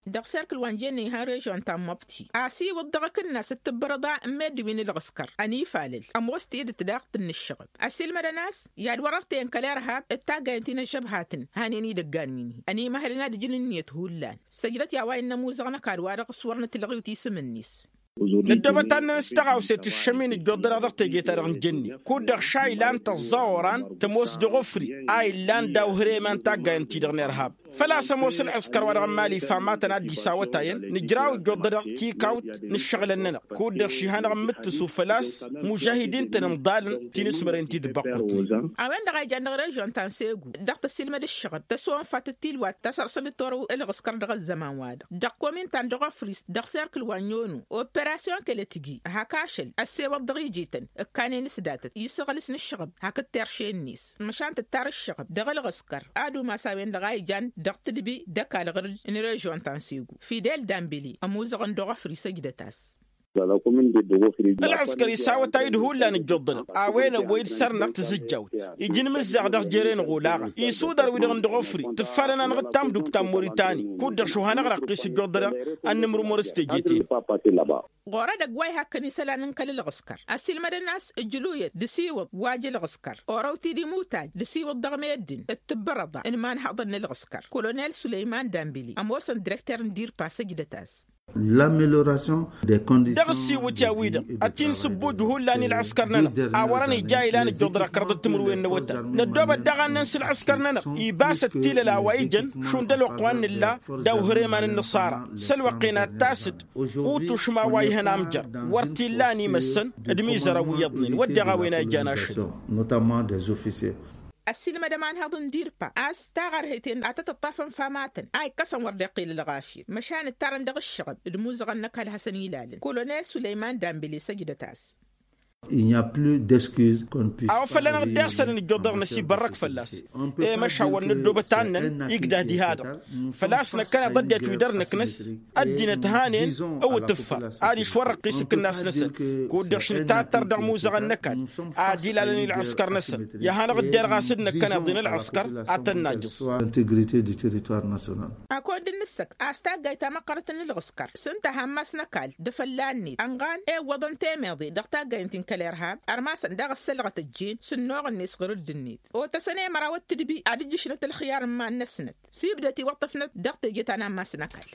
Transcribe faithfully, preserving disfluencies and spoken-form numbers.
Dăɣ-serkǝl wa n-jenne ihăn režon ta n-măbti asiwǝḍ dăɣ-akǝnnas d-tǝbbărăḍa n-meddǝn wi n-ǝlɣǝskăr ănifalăl ămoos tidǝt daɣ tǝnnǝššăɣăb. Ăsilmădăn a-s i-ad-wăr-ărtăyăn kăl-irhab d-taggayăn ti n-ăžžăbhatăn hanen idăggan wi n-hi ănimăhălăn ad-ǝjǝn ǝnniyăt hullan. Săjdăt i-a-wa innă ămuzăɣ n-ăkall wa dăɣ-s wăr nǝtlăɣ i-wǝt isǝm-net. Năddoobăt ad-nănăs taɣawse tǝššăm-in ǝjjuḍ-dăɣ dăɣ-teje-ta-dăɣ n-jenne kud-dăɣ ša ilan tăẓẓa oran tămoos dăɣ-ofri a illan daw-hărem a n-taggayăn-ti-dăɣ n-irhab. Făl-a-s ămoos ălɣǝskăr wa dăɣ-n mali ifamatăn ad-dd-isawătayăn nǝjraw ǝjjuḍ-dăɣ tikawt n-ǝššăɣǝlăn-nănăɣ kud-dăɣ ši hanăɣ-nǝmmǝttǝsu făl-a-s mužahidin-tăn ǝnḍalăn ti n-asmărăn ti d-băqqutnen. A-wen-dăɣ a ijan dăɣ-režon ta n-segu dăɣ-tăsilmăd ǝššăɣăb tăsonfat d-tilwat ta săr-săl d-torăw ǝlɣǝskăr dăɣ-ăzzăman-wa-dăɣ dăɣ-komintan dăɣ-ofris dăɣ-serkǝl wa n-yonu operasyon kăl-e-tǝjji. Hak-ašăl ăssewăḍ dăɣ-ijităn ǝkkanen s-datăt isăɣlǝs n-ǝššăɣăb hakd terše-net măšan tǝttar ǝššăɣăb dăɣ-ǝlɣǝskăr. Ad-umas a-wen-dăɣ a ijan dăɣ-tǝdbi d-ăkall ɣǝr-dd n-režon ta n-segu fidel dambili ămuzăɣăn dăɣ-ofri săjdăt-as. Ălɣǝskăr isawăt-ayǝd hullan ǝjjuḍ-dăɣ a-wen ăwwăy-dd săr-năɣ tǝzǝjjawt ija inmǝzzaɣ dăɣ-jere-năɣ olaɣăn isudar-wi-dăɣ n-dăɣ-ofri tǝffarăn-anăɣ d-tamduk ta n-moritani kud-dăɣ šuhanăɣ-dăɣ ɣur-ăqqis ǝjjuḍ-dăɣ. Ad-nǝmrǝmur s-teje-ten. Ɣur-edăgg wa ihăkkăn isălan n-kăl-ǝlɣǝskăr ăsilmădăn a-s ǝjluyăt d-asiwǝḍ wa j-ǝlɣǝskăr orăw-t-dd imutaj d-asiwǝḍ dăɣ-meddǝn d-tǝbbărăḍa n-imanhăḍăn n-ǝlɣǝskăr kolonel sulăyman dambili ămoosăn direkter n-dirpa săjdăt-as. L'amélioration des conditions dăɣ-ăssiwǝtya-wi-dăɣ ad-t-in-sǝbbuj hullan i-ălɣǝskăr-nănăɣ a wărăn ija ilan ǝjjuḍ-dăɣ ăkrăḍăt timǝrwen n-awătay năddoobăt daɣ ad-năn s-ǝlɣǝskăr-nănăɣ ibasăt tilăl a-wa ijăn šund ălwăqq wa n-nǝlla daw-hărem a n-ǝnnăṣara. S-ălwăqq-en ad-t-asǝd utušma wa ihăn amjăr wăr t-illa ănimăssăn d-imizărăn wi iyyăḍnen wădden a-wen a ijan ašăl. Ăssiilmăd ămanhăḍ n-dirpa a-s taɣărhet-en ad-tăt-ǝṭṭafăn famatăn a ikkăsăn wăr dd-iqqil ălɣafyăt măšan ǝttarăn dăɣ-ǝššăɣăb d-imuzăɣăn n-ăkall hasăn-ilalăn kolonel sulăyman dambili săjdăt-as. A-wa făl-anăɣ dd-iɣsălăn ǝjjuḍ-dăɣ năsibărrăk fălla-s. I-măšan wăr nǝddoobăt ad-năn igdăh diha-dăɣ făl-a-s năkkăneḍ ăddinăt wi dăr-nǝknǝs ăddinăt hanen ăwǝtǝffăr adiš wăr-ăqqis ǝkǝnnas-năsăn. Kud-dăɣ š-nǝtattăr dăɣ-imuzăɣăn n-ăkall ad-ilalăn i-ălɣǝskăr-năsăn i-ad-hanăɣ-dd-irɣas d-năkkăneḍ-in ălɣǝskăr ad-tăn-najǝẓ. Akăwăn dd-nǝssăkt a-s taggayt ta măqqărăt n-ǝlɣǝskăr s-ǝnta hammas n-ăkall d-afălla-net ănɣan iwwăḍăn temeḍe dăɣ-taggayt n-ti n-kăl-irhab ărmasăn daɣ ăssălɣăt ăjjeen s-ǝnnuɣ-net ɣur-dd-net. Otăsăn i-măraw d-tǝdbi ad-ǝjjǝšnăt ălxiyar n-iman-năsnăt s-ibdăt iwăṭṭăfnăt dăɣ-teje ta n-ammas n-ăkall.